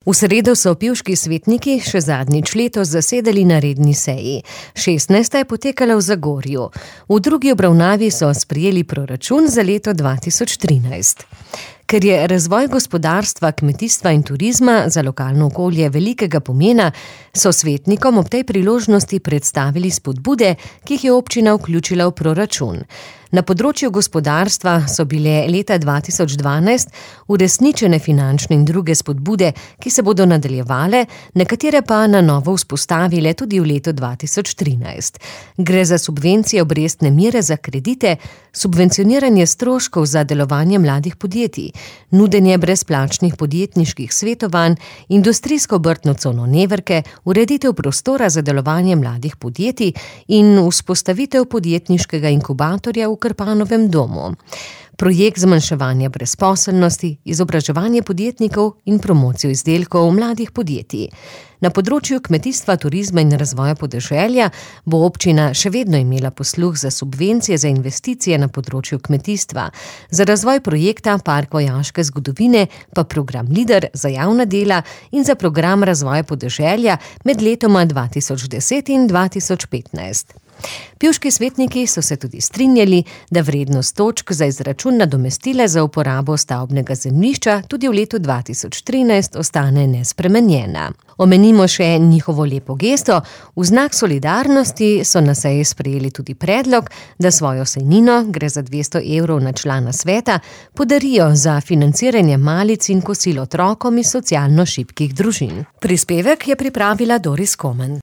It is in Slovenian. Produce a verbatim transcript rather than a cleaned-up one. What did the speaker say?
V sredo so pivški svetniki še zadnjič letos zasedali na redni seji. šestnajsta je potekala v Zagorju. V drugi obravnavi so sprejeli proračun za leto dva tisoč trinajst. Ker je razvoj gospodarstva, kmetijstva in turizma za lokalno okolje velikega pomena, so svetnikom ob tej priložnosti predstavili spodbude, ki jih je občina vključila v proračun. Na področju gospodarstva so bile leta dva tisoč dvanajst uresničene finančne in druge spodbude, ki se bodo nadaljevale, nekatere pa na novo vzpostavile tudi v letu dva tisoč trinajst. Gre za subvencije obrestne mere za kredite, subvencioniranje stroškov za delovanje mladih podjetij, nudenje brezplačnih podjetniških svetovanj, industrijsko obrtno cono Neverke, ureditev prostora za delovanje mladih podjetij in vzpostavitev podjetniškega inkubatorja v Krpanovem domu. Projekt zmanjševanja brezposelnosti, izobraževanje podjetnikov in promocijo izdelkov mladih podjetij. Na področju kmetijstva, turizma in razvoja podeželja bo občina še vedno imela posluh za subvencije za investicije na področju kmetijstva. Za razvoj projekta Park vojaške zgodovine pa program Lider za javna dela in za program razvoja podeželja med letoma dva tisoč deset in dva tisoč petnajst. Pivški svetniki so se tudi strinjali, da vrednost točk za izračun nadomestila za uporabo stavbnega zemljišča tudi v letu dva tisoč trinajst ostane nespremenjena. Omenimo še njihovo lepo gesto. V znak solidarnosti so na seji sprejeli tudi predlog, da svojo sejnino, gre za dvesto evrov na člana sveta, podarijo za financiranje malic in kosil otrokom iz socialno šibkih družin. Prispevek je pripravila Doris Komen.